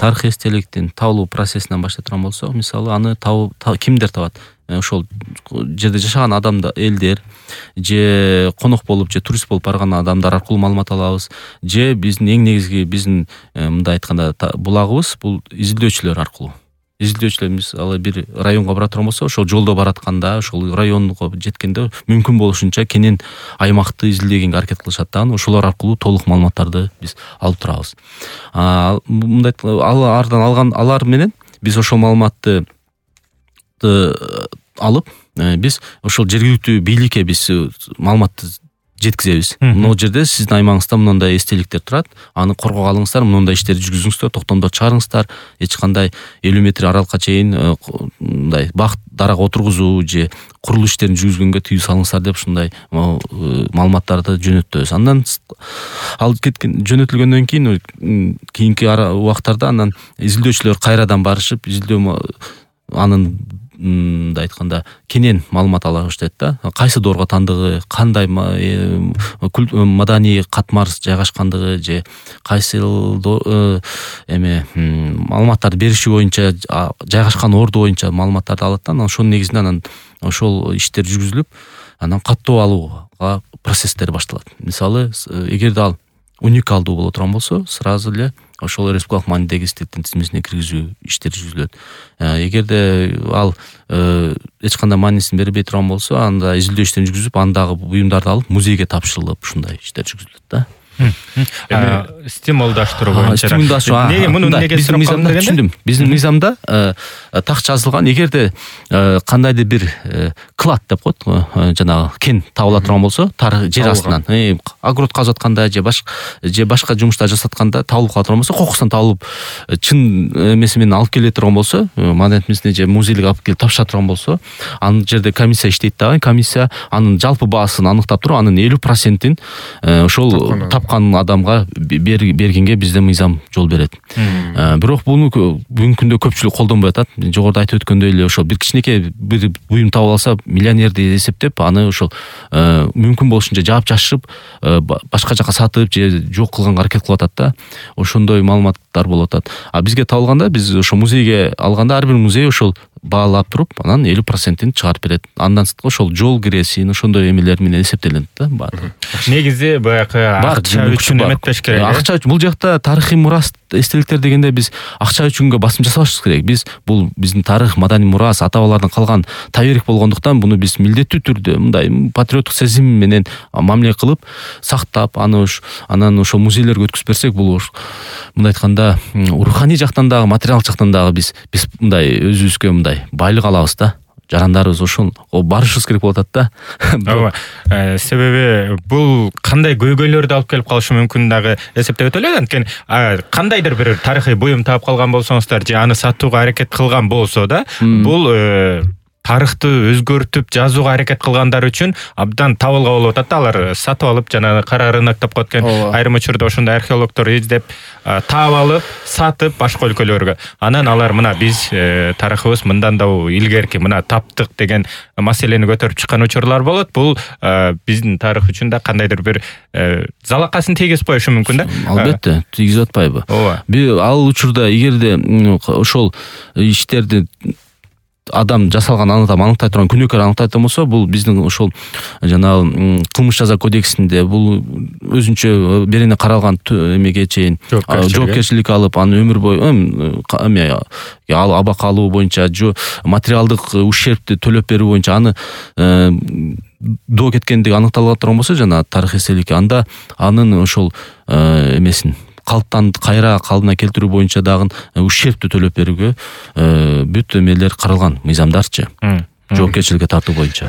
тарыхый эстеликтин табылуу процессинен баштай турган болсок, мисалы аны кимдер табат? Ошол жерде жашаган адамдар, элдер, же конок болуп, же турист болуп барган адамдар аркылуу маалымат алабыз, же биздин эң негизги биздин мындай айтканда булагыбыз бул изилдөөчүлөр аркылуу. Изилдөөчүлөр мисалы бир районго бара турган болсо, ошол жолдо баратканда, ошол районго жеткенде мүмкүн болушунча кенен аймакты изилдегенге аракет кылышат да, ошолор аркылуу толук маалыматтарды биз алып турабыз. Мындай алар менен биз ошол маалыматты алып, биз ошол жергиликтүү бийликке биз маалыматты жеткизебиз. Могу жерде сиздин аймагыңызда мындай эстеликтер турат, аны коргоого алыңыздар, мындай иштерди жүргүзүңүздөр, токтомдор чыгарыңыздар, эч кандай 50 метр аралыкка чейин мындай бак дарак отургузуу же курулуш иштерин жүргүзгөнгө тыюу салыңыздар деп ушундай маалыматтарды жөнөтөбүз. Андан ал жөнөтүлгөндөн кийинки убактарда анан изилдөөчүлөр кайрадан барышып, изилдөө анын мындай айтканда кенен маалымат ала баштайт да. Кайсы доорго тандыгы, кандай маданий катмар жайгашкандыгы же кайсы маалыматтарды бериши боюнча, жайгашкан орду боюнча маалыматтарды алат да. Ошонун негизинде анан ошол иштер жүргүзүлүп, анан каттоо алууга процесстер башталат. Мисалы, эгерде ал уникалдуу боло турган болсо, сразу эле ошол республикалык маанидеги эстеликтин тизмесине киргизүү иштери жүргүзүлөт. Эгерде ал эч кандай маанисин бербей турган болсо, анда изилдөө иштерин жүргүзүп, андагы буюмдарды алып музейге тапшырылып, ушундай иштер жүргүзүлөт да. Стимулдаштыруу боюнча. Биздин мыйзамда түшүндүм. Биздин мыйзамда так жазылган, эгерде кандайдыр бир клад деп коет, жанагы кен табыла турган болсо, жер астынан, огород казып атканда же башка жумуштар жасатканда табылып кала турган болсо, кокусунан табылып, чын эмеси менен алып келе турган болсо, маданият музейине же музейлик алып келип тапшыра турган болсо, анын жерде комиссия иштейт дагы. Комиссия анын жалпы баасын аныктап туруп, анын 50%-ин ошол тапкан адамга бергенге бизде мыйзам жол берет. Бирок буну бүгүнкү күндө көпчүлүк колдонбой атат. Жогоруда айтып өткөндөй эле ошол бир кичинекей бир буюм табып алса, миллионерди эсептеп, аны ошол мүмкүн болушунча жаап жашырып, башка жака сатып же жок кылганга аракет кылып атат да. Ошондой маалыматтар болуп атат. Бизге табылганда, биз ошо музейге алганда, ар бир музей ошол баалап туруп, анан 50%-ин чыгарып берет. Андан сырткы ошол жол киресин, ошондой эмелер менен эсептелет да. Негизи баягы акча үчүн эметпеш керек. Акча үчүн, бул жакта тарыхый мурас эстеликтер дегенде биз акча үчүнгө басым жасабашыбыз керек. Биз бул биздин тарых, маданий мурас, ата бабалардан калган таберик болгондуктан буну биз милдеттүү түрдө мындай патриоттук сезим менен мамиле кылып, сактап, анан ошо музейлерге өткүзүп берсек, бул мындай айтканда руханий жактан дагы, материалдык жактан дагы биз мындай өзүбүзгө мындай байлык алабыз да. Жарандарыбыз ошол барышыбыз керек болуп атат да. Себеби бул кандай көйгөйлөрдү алып келип калышы мүмкүн дагы эсептеп өтө элек. Анткени кандайдыр бир тарыхый буюм таап калган болсоңуздар же аны сатууга аракет кылган болсо да, бул тарыхты өзгөртүп жазууга аракет кылгандар үчүн абдан табылга болуп атат да. Алар сатып алып, жана кара рынок деп коет экен, айрым учурда ошондой археологдор издеп таап алып, сатып башка өлкөлөргө. Анан алар мына биз тарыхыбыз мындан да илгерки, мына таптык деген маселени көтөрүп чыккан учурлар болот. Бул биздин тарых үчүн да кандайдыр бир залакасын тийгизип коюшу мүмкүн да. Албетте, тийгизип атпайбы? Ал учурда эгерде ошол иштерди адам жасалган аныктай турган күнөөкөр аныктай турган болсо, бул биздин ошол жанагы кылмыш жаза кодексинде бул өзүнчө берене каралган эмеге чейин жоопкерчилик алып, аны өмүр бою ал абак алуу боюнча, материалдык ущербти төлөп берүү боюнча аны доо кеткендиги аныкталып турган болсо, жана тарых эстеликке, анда анын ошол эмесин кайра калыбына келтирүү боюнча дагы ущербти төлөп берүүгө бүт эмелер каралган, мыйзамдарчы, жоопкерчиликке тартуу боюнча.